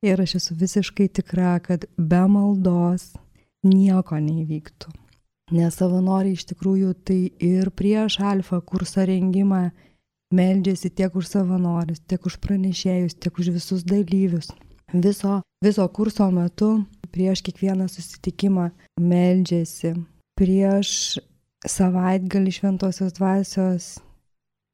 Ir aš esu visiškai tikra, kad be maldos nieko neįvyktų. Nes savanoriai iš tikrųjų tai ir prieš alfa kursą rengimą meldžiasi tiek už savanorius, tiek už pranešėjus, tiek už visus dalyvius. Viso, viso kurso metu prieš kiekvieną susitikimą meldžiasi. Prieš savaitgalį šventosios dvasios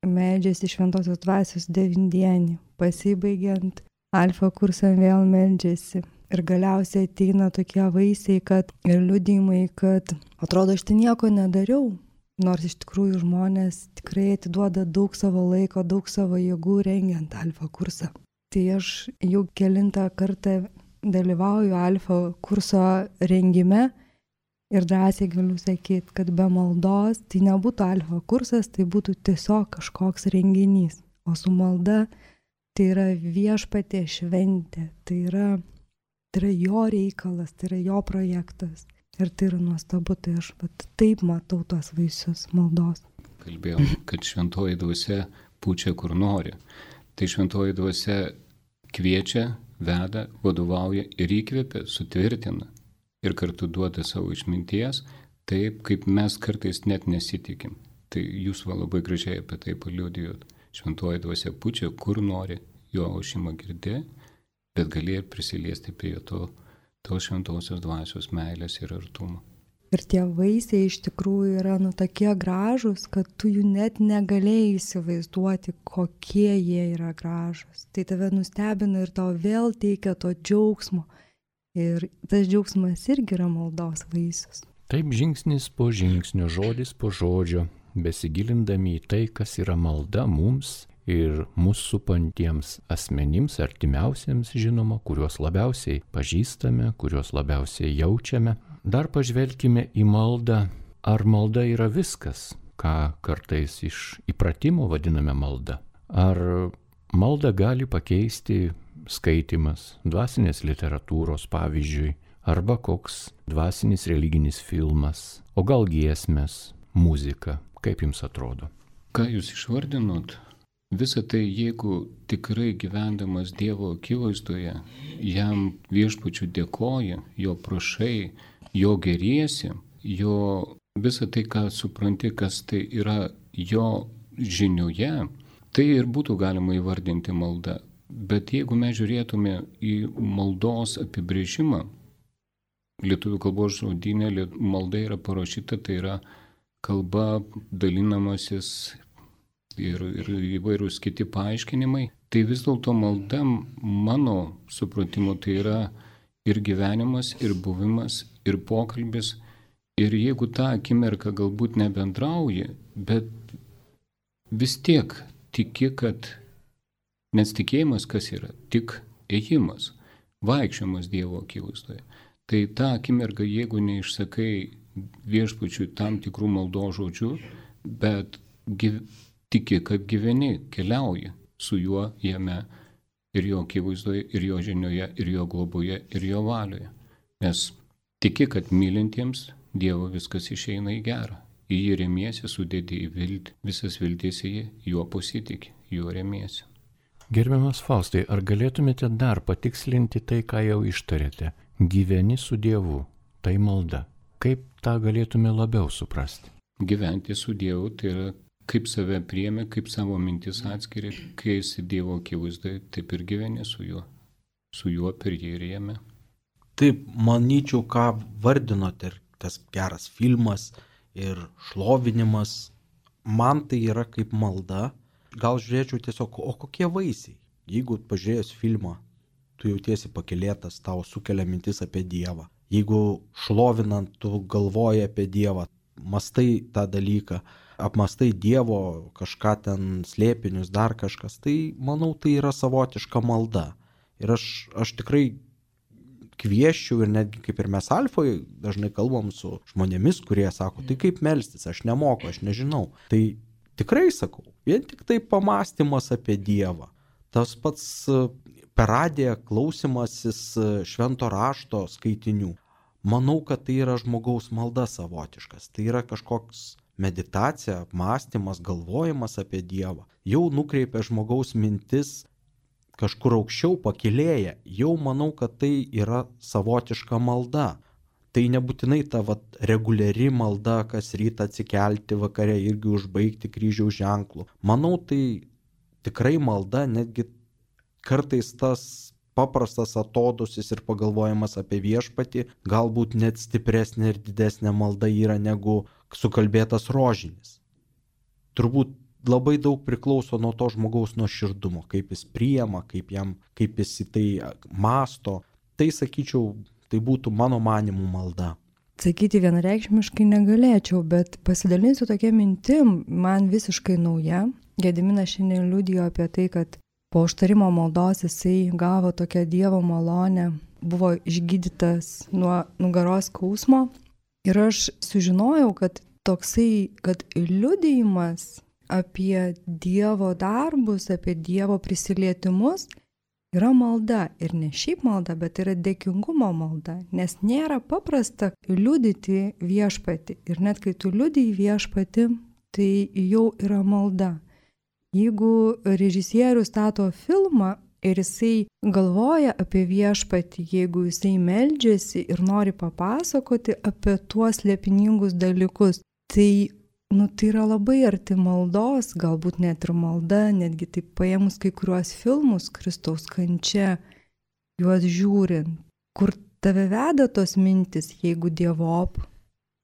meldžiasi šventosios dvasios devindienį. Pasibaigiant alfa kursą vėl meldžiasi. Ir galiausiai ateina tokie vaisiai, kad ir liudijimai, kad atrodo, aš tai nieko nedariau. Nors iš tikrųjų žmonės tikrai atiduoda daug savo laiko, daug savo jėgų rengiant alfa kursą. Tai aš jau kelintą kartą dalyvauju alfa kurso rengime ir drąsiai galiu sakyti, kad be maldos tai nebūtų alfa kursas, tai būtų tiesiog kažkoks renginys. O su malda tai yra viešpatie šventė, tai yra, tai yra jo reikalas, tai yra jo projektas. Ir tai yra nuostabu, tai aš vat, taip matau tuos vaisius maldos. Kalbėjom, kad šventoji dvasia pučia kur nori. Tai šventoji dvasia kviečia, veda, vadovauja ir įkvepia, sutvirtina ir kartu duoda savo išminties, taip kaip mes kartais net nesitikim. Tai jūs va labai gražiai apie tai paliudijot. Šventoji dvasia pučia kur nori, jo aušimą girdė, bet gali ir prisiliesti prie to, to šventosios dvasios meilės ir artumo. Ir tie vaisiai iš tikrųjų yra nu tokie gražūs, kad tu jų net negalėjai įsivaizduoti, kokie jie yra gražūs. Tai tave nustebina ir tau vėl teikia to džiaugsmo. Ir tas džiaugsmas irgi yra maldos vaisius. Taip žingsnis po žingsnio, žodis po žodžio, besigilindami į tai, kas yra malda mums ir mūsų supantiems asmenims, artimiausiems žinoma, kuriuos labiausiai pažįstame, kuriuos labiausiai jaučiame. Dar pažvelkime į maldą. Ar malda yra viskas, ką kartais iš įpratimo vadiname malda? Ar maldą gali pakeisti skaitimas, dvasinės literatūros pavyzdžiui, arba koks dvasinis religinis filmas, o gal giesmės, muzika? Kaip jums atrodo? Ką jūs išvardinot? Visą tai, jeigu tikrai gyvendamas Dievo akivaizdoje, jam viešpačiu dėkoji, jo prašai, jo geriesi, jo visą tai, ką supranti, kas tai yra jo žinioje, tai ir būtų galima įvardinti malda. Bet jeigu mes žiūrėtume į maldos apibrėžimą, lietuvių kalbos žodyne malda yra parašyta, tai yra kalba, dalinamasis ir, ir įvairūs kiti paaiškinimai, tai vis dėlto malda mano supratimu tai yra ir gyvenimas, ir buvimas, ir pokalbis. Ir jeigu tą akimirką galbūt nebendrauji, bet vis tiek tiki, kad nes tikėjimas kas yra? Tik ėjimas, vaikščiojimas Dievo akivaizdoje. Tai tą akimirką, jeigu neišsakai viešpačiui tam tikrų maldos žodžių, bet gyv... tiki, kad gyveni, keliauji su juo jame ir jo akivaizdoje, ir jo žinioje, ir jo globoje, ir jo valioje. Nes tiki, kad mylintiems Dievo viskas išeina į gerą. Į jį remiesi, sudėti į viltį, visas viltis į jį, juo pasitikė, juo remiesi. Gerbiamas Faustai, ar galėtumėte dar patikslinti tai, ką jau ištarėte? Gyveni su Dievu, tai malda. Kaip tą galėtume labiau suprasti? Gyventi su Dievu tai yra kaip save priėmė, kaip savo mintis atskiria, kai esi Dievo akivaizdoje, taip ir gyveni su juo. Su juo per jį ir jame. Taip, manyčiau, ką vardinot ir tas geras filmas ir šlovinimas, man tai yra kaip malda. Gal žiūrėčiau tiesiog, o kokie vaisiai? Jeigu pažiūrėjus filmą, tu jautiesi pakylėtas, tau sukelia mintis apie Dievą. Jeigu šlovinant, tu galvoji apie Dievą, mastai tą dalyką, apmastai Dievo kažką ten slėpinius, dar kažkas, tai manau, tai yra savotiška malda. Ir aš, aš tikrai kvieščiau ir netgi kaip ir mes Alfoje dažnai kalbam su žmonėmis, kurie sako, tai kaip melstis, aš nemoku, aš nežinau. Tai tikrai sakau, vien tik tai pamąstymas apie Dievą. Tas pats per radiją klausimasis švento rašto skaitinių. Manau, kad tai yra žmogaus malda savotiškas. Tai yra kažkoks meditacija, apmąstymas, galvojimas apie Dievą. Jau nukreipia žmogaus mintis kažkur aukščiau, pakilėja. Jau manau, kad tai yra savotiška malda. Tai nebūtinai ta vat, reguliari malda, kas rytą atsikelti, vakare irgi užbaigti kryžiaus ženklų. Manau, tai tikrai malda, netgi kartais tas paprastas atodusis ir pagalvojimas apie viešpatį, galbūt net stipresnė ir didesnė malda yra negu sukalbėtas rožinis. Turbūt labai daug priklauso nuo to žmogaus nuoširdumo, kaip jis priima, kaip, jam, kaip jis į tai mąsto. Tai, sakyčiau, tai būtų mano manimų malda. Sakyti vienareikšmiškai negalėčiau, bet pasidalinsiu tokia mintim, man visiškai nauja. Gediminas šiandien liudijo apie tai, kad po užtarimo maldos jisai gavo tokią Dievo malonę, buvo išgydytas nuo nugaros skausmo. Ir aš sužinojau, kad toksai, kad liudijimas apie Dievo darbus, apie Dievo prisilietimus yra malda. Ir ne šiaip malda, bet yra dėkingumo malda. Nes nėra paprasta liudyti viešpatį. Ir net kai tu liudiji viešpatį, tai jau yra malda. Jeigu režisierius stato filmą ir jisai galvoja apie viešpatį, jeigu jisai meldžiasi ir nori papasakoti apie tuos slėpiningus dalykus, tai, nu, tai yra labai arti maldos, galbūt net ir malda, netgi taip paėmus kai kuriuos filmus Kristaus kančia, juos žiūrint, kur tave veda tos mintis, jeigu dievop,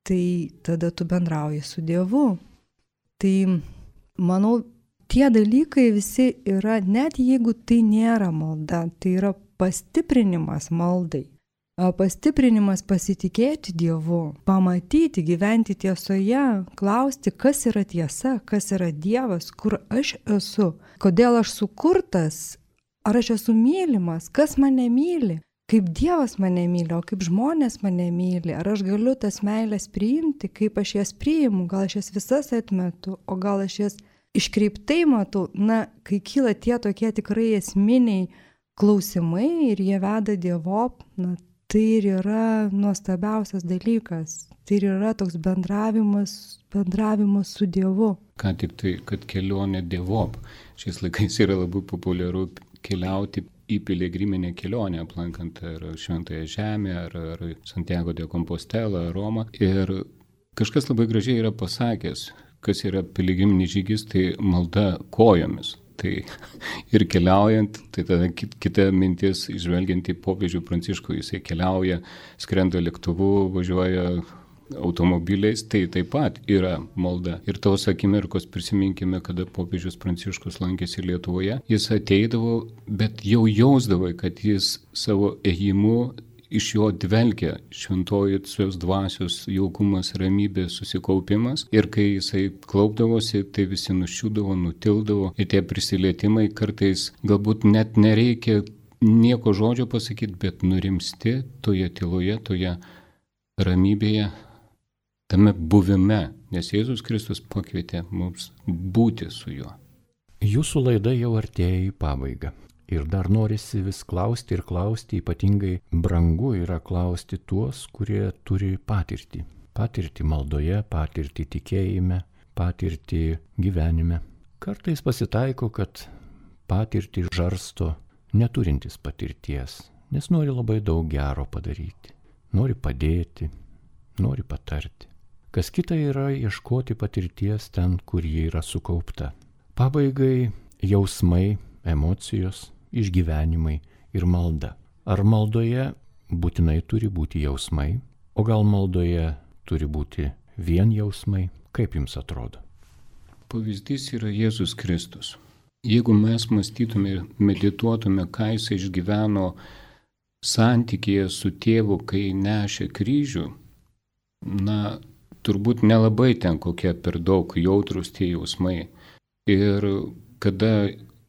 tai tada tu bendrauji su Dievu. Tai, manau, tie dalykai visi yra, net jeigu tai nėra malda, tai yra pastiprinimas maldai. Pastiprinimas pasitikėti Dievu, pamatyti, gyventi tiesoje, klausti, kas yra tiesa, kas yra Dievas, kur aš esu, kodėl aš sukurtas, ar aš esu mylimas, kas mane myli, kaip Dievas mane myli, o kaip žmonės mane myli, ar aš galiu tas meilės priimti, kaip aš jas priimu, gal aš jas visas atmetu, o gal aš jas iškreiptai matau. Na, kai kyla tie tokie tikrai esminiai klausimai ir jie veda Dievop, na, tai ir yra nuostabiausias dalykas. Tai ir yra toks bendravimas, bendravimas su Dievu. Ką tik tai, kad kelionė Dievop. Šiais laikais yra labai populiaru keliauti į piligriminę kelionę, aplankant ar Šventąją Žemę, ar, ar Santiago de Compostela, Romą. Ir kažkas labai gražiai yra pasakęs, kas yra piligriminis žygis, tai malda kojomis. Tai ir keliaujant, tai tada kita mintis, žvelgiant į popiežių Pranciškų, jisai keliauja, skrenda lėktuvu, važiuoja automobiliais, tai taip pat yra malda. Ir tos akimirkos prisiminkime, kada popiežius Pranciškus lankėsi Lietuvoje, jis ateidavo, bet jau jausdavo, kad jis savo ėjimu iš jo dvelkia šventojosios dvasios jaukumas, ramybė, susikaupimas. Ir kai jisai klaupdavosi, tai visi nuščiūdavo, nutildavo. Ir tie prisilietimai kartais galbūt net nereikia nieko žodžio pasakyti, bet nurimsti toje tyloje, toje ramybėje, tame buvime. Nes Jėzus Kristus pakvietė mums būti su juo. Jūsų laida jau artėja į pabaigą. Ir dar norisi vis klausti ir klausti, ypatingai brangu yra klausti tuos, kurie turi patirtį. Patirtį maldoje, patirtį tikėjime, patirtį gyvenime. Kartais pasitaiko, kad patirtį žarsto neturintis patirties, nes nori labai daug gero padaryti. Nori padėti, nori patarti. Kas kita yra ieškoti patirties ten, kur ji yra sukaupta. Pabaigai jausmai, emocijos, išgyvenimai ir malda. Ar maldoje būtinai turi būti jausmai, o gal maldoje turi būti vien jausmai? Kaip jums atrodo? Pavyzdys yra Jėzus Kristus. Jeigu mes mąstytume ir medituotume, ką jis išgyveno santykėje su tėvu, kai nešė kryžių, na, turbūt nelabai ten kokie per daug jautrus tie jausmai. Ir kada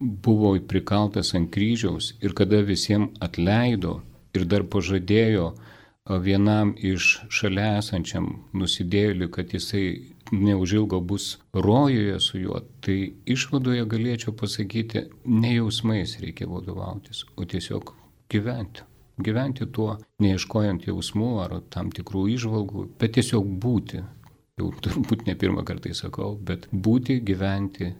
buvo prikaltas ant kryžiaus ir kada visiems atleido ir dar pažadėjo vienam iš šalia esančiam nusidėjėliui, kad jisai neužilgo bus rojuje su juo, tai išvadoje galėčiau pasakyti, ne jausmais reikia vadovautis, o tiesiog gyventi. Gyventi tuo, neieškojant jausmų ar tam tikrų įžvalgų, bet tiesiog būti. Jau turbūt ne pirmą kartą sakau, bet būti, gyventi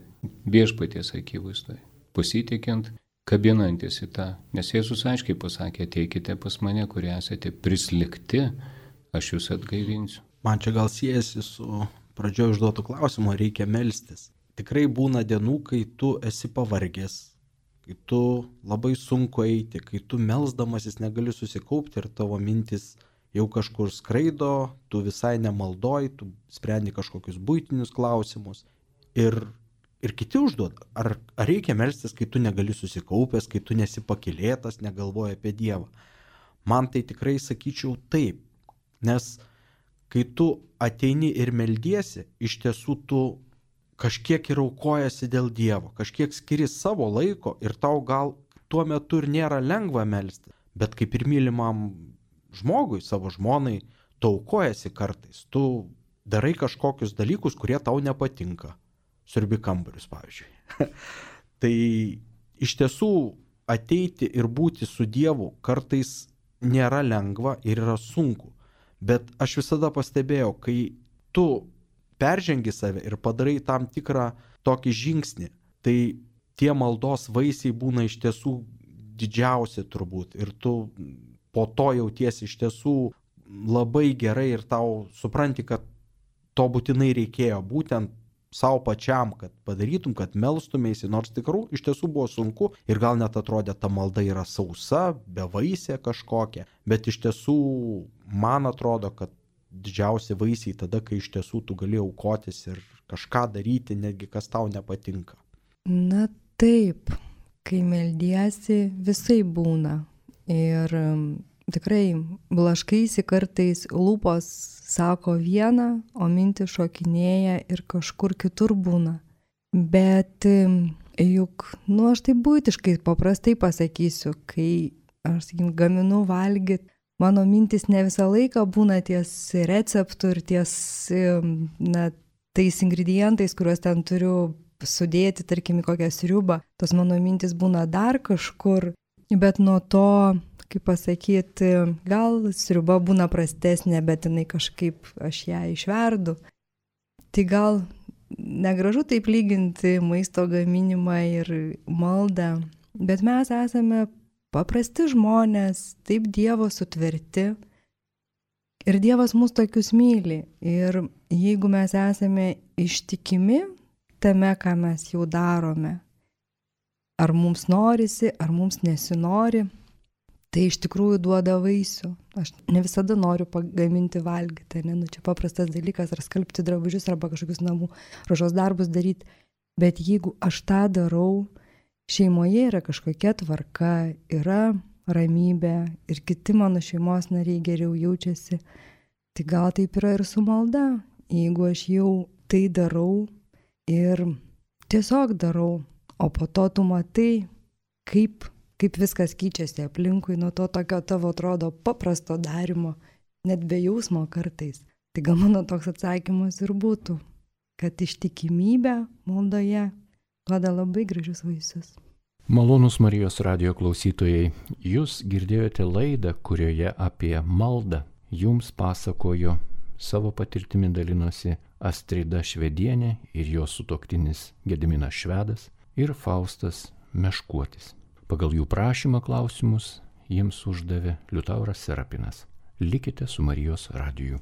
viešpaties akivaizdoje, pasitikiant, kabinantis į tą. Nes Jėzus aiškiai pasakė, ateikite pas mane, kurie esate prislikti, aš jūs atgaivinsiu. Man čia gal siejasi su pradžioje užduotų klausimų, reikia melstis. Tikrai būna dienų, kai tu esi pavargęs, kai tu labai sunku eiti, kai tu melsdamasis negali susikaupti ir tavo mintis jau kažkur skraido, tu visai nemaldoji, tu sprendi kažkokius buitinius klausimus. Ir, ir kiti užduoda, ar, ar reikia melstis, kai tu negali susikaupęs, kai tu nesi pakylėtas, negalvoji apie Dievą. Man tai tikrai sakyčiau taip, nes kai tu ateini ir meldiesi, iš tiesų tu kažkiek ir aukojasi dėl Dievo, kažkiek skiri savo laiko ir tau gal tuo metu ir nėra lengva melsti, bet kaip ir mylimam žmogui, savo žmonai, tu aukojasi kartais, tu darai kažkokius dalykus, kurie tau nepatinka, siurbi kambarius pavyzdžiui. Tai iš tiesų ateiti ir būti su Dievu kartais nėra lengva ir yra sunku. Bet aš visada pastebėjau, kai tu peržengi save ir padarai tam tikrą tokį žingsnį, tai tie maldos vaisiai būna iš tiesų didžiausi turbūt. Ir tu po to jautiesi iš tiesų labai gerai ir tau supranti, kad to būtinai reikėjo būtent savo pačiam, kad padarytum, kad melstumėsi, nors tikrų iš tiesų buvo sunku ir gal net atrodė, ta malda yra sausa, bevaisė kažkokia, bet iš tiesų man atrodo, kad didžiausi vaisiai tada, kai iš tiesų tu gali aukotis ir kažką daryti, netgi kas tau nepatinka. Na taip, kai meldiesi, visai būna. Ir tikrai blaškaisi kartais, lūpos sako vieną, o mintis šokinėja ir kažkur kitur būna. Bet juk, nu aš taip buitiškai paprastai pasakysiu, kai aš sakykim, gaminu valgyti, mano mintis ne visą laiką būna ties receptų ir ties na, tais ingredientais, kuriuos ten turiu sudėti, tarkim, į kokią sriubą. Tos mano mintis būna dar kažkur, bet nuo to, kaip pasakyti, gal sriuba būna prastesnė, bet jinai kažkaip aš ją išverdu. Tai gal negražu taip lyginti maisto gaminimą ir maldą, bet mes esame paprasti žmonės, taip Dievo sutverti. Ir Dievas mus tokius myli. Ir jeigu mes esame ištikimi tame, ką mes jau darome, ar mums norisi, ar mums nesinori, tai iš tikrųjų duoda vaisių. Aš ne visada noriu pagaminti valgyti, ne, nu čia paprastas dalykas, ar skalbti drabužius, arba kažkokius namų ruošos darbus daryti. Bet jeigu aš tą darau, šeimoje yra kažkokia tvarka, yra ramybė ir kiti mano šeimos nariai geriau jaučiasi, tai gal taip yra ir su malda. Jeigu aš jau tai darau ir tiesiog darau, o po to tu matai, kaip kaip viskas keičiasi aplinkui nuo to tokio tavo atrodo paprasto darimo, net be jausmo kartais. Tai gal mano toks atsakymas ir būtų, kad ištikimybė maldoje duoda labai gražius vaisius. Malonūs Marijos radijo klausytojai, jūs girdėjote laidą, kurioje apie maldą jums pasakojo, savo patirtimi dalinosi Astrida Švedienė ir jos sutuoktinis Gediminas Švedas ir Faustas Meškuotis. Pagal jų prašymą klausimus jiems uždavė Liutauras Serapinas. Likite su Marijos radiju.